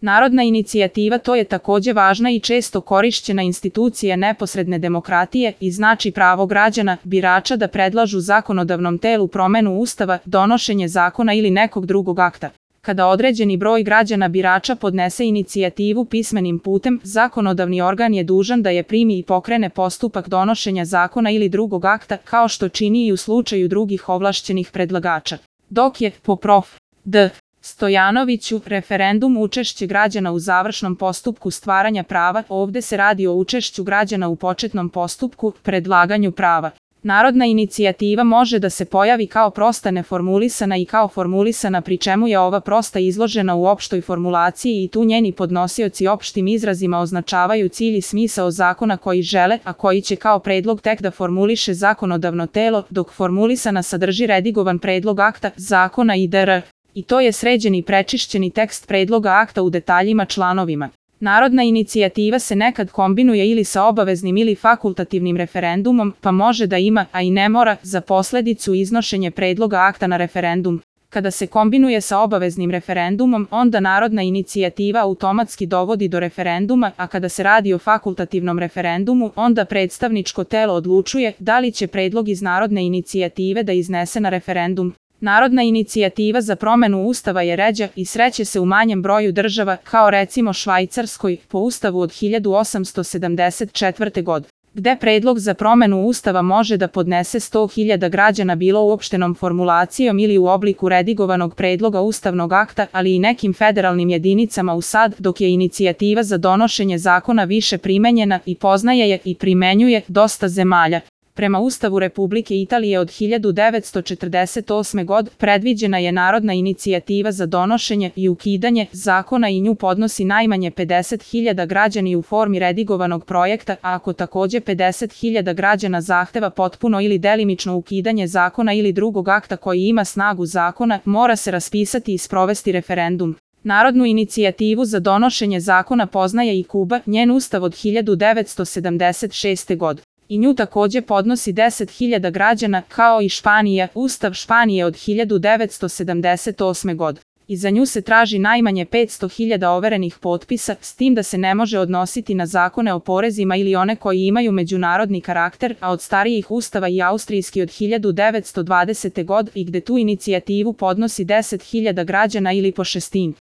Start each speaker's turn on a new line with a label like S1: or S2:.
S1: Narodna inicijativa to je takođe važna i često korišćena institucija neposredne demokratije i znači pravo građana, birača da predlažu zakonodavnom telu promenu Ustava, donošenje zakona ili nekog drugog akta. Kada određeni broj građana birača podnese inicijativu pismenim putem, zakonodavni organ je dužan da je primi i pokrene postupak donošenja zakona ili drugog akta, kao što čini i u slučaju drugih ovlašćenih predlagača. Dok je, po prof. D. Stojanoviću, referendum učešće građana u završnom postupku stvaranja prava, ovde se radi o učešću građana u početnom postupku, predlaganju prava. Narodna inicijativa može da se pojavi kao prosta neformulisana i kao formulisana, pri čemu je ova prosta izložena u opštoj formulaciji i tu njeni podnosioci opštim izrazima označavaju cilj i smisao zakona koji žele, a koji će kao predlog tek da formuliše zakonodavno telo, dok formulisana sadrži redigovan predlog akta, zakona itd. I to je sređeni i prečišćeni tekst predloga akta u detaljima članovima. Narodna inicijativa se nekad kombinuje ili sa obaveznim ili fakultativnim referendumom, pa može da ima, a i ne mora, za posledicu iznošenje predloga akta na referendum. Kada se kombinuje sa obaveznim referendumom, onda narodna inicijativa automatski dovodi do referenduma, a kada se radi o fakultativnom referendumu, onda predstavničko telo odlučuje da li će predlog iz narodne inicijative da iznese na referendum. Narodna inicijativa za promenu Ustava je ređa i sreće se u manjem broju država, kao recimo Švajcarskoj, po Ustavu od 1874. godine, gde predlog za promenu Ustava može da podnese 100.000 građana bilo uopštenom formulacijom ili u obliku redigovanog predloga ustavnog akta, ali i nekim federalnim jedinicama u SAD, dok je inicijativa za donošenje zakona više primenjena i poznaje je i primenjuje dosta zemalja. Prema Ustavu Republike Italije od 1948. godine predviđena je narodna inicijativa za donošenje i ukidanje zakona i nju podnosi najmanje 50.000 građana u formi redigovanog projekta, a ako takođe 50.000 građana zahteva potpuno ili delimično ukidanje zakona ili drugog akta koji ima snagu zakona, mora se raspisati i sprovesti referendum. Narodnu inicijativu za donošenje zakona poznaje i Kuba, njen ustav od 1976. godine. I nju takođe podnosi 10.000 građana, kao i Španija, Ustav Španije od 1978. godine. I za nju se traži najmanje 500.000 overenih potpisa, s tim da se ne može odnositi na zakone o porezima ili one koji imaju međunarodni karakter, a od starijih ustava i austrijski od 1920. godine i gde tu inicijativu podnosi 10.000 građana ili po šestin.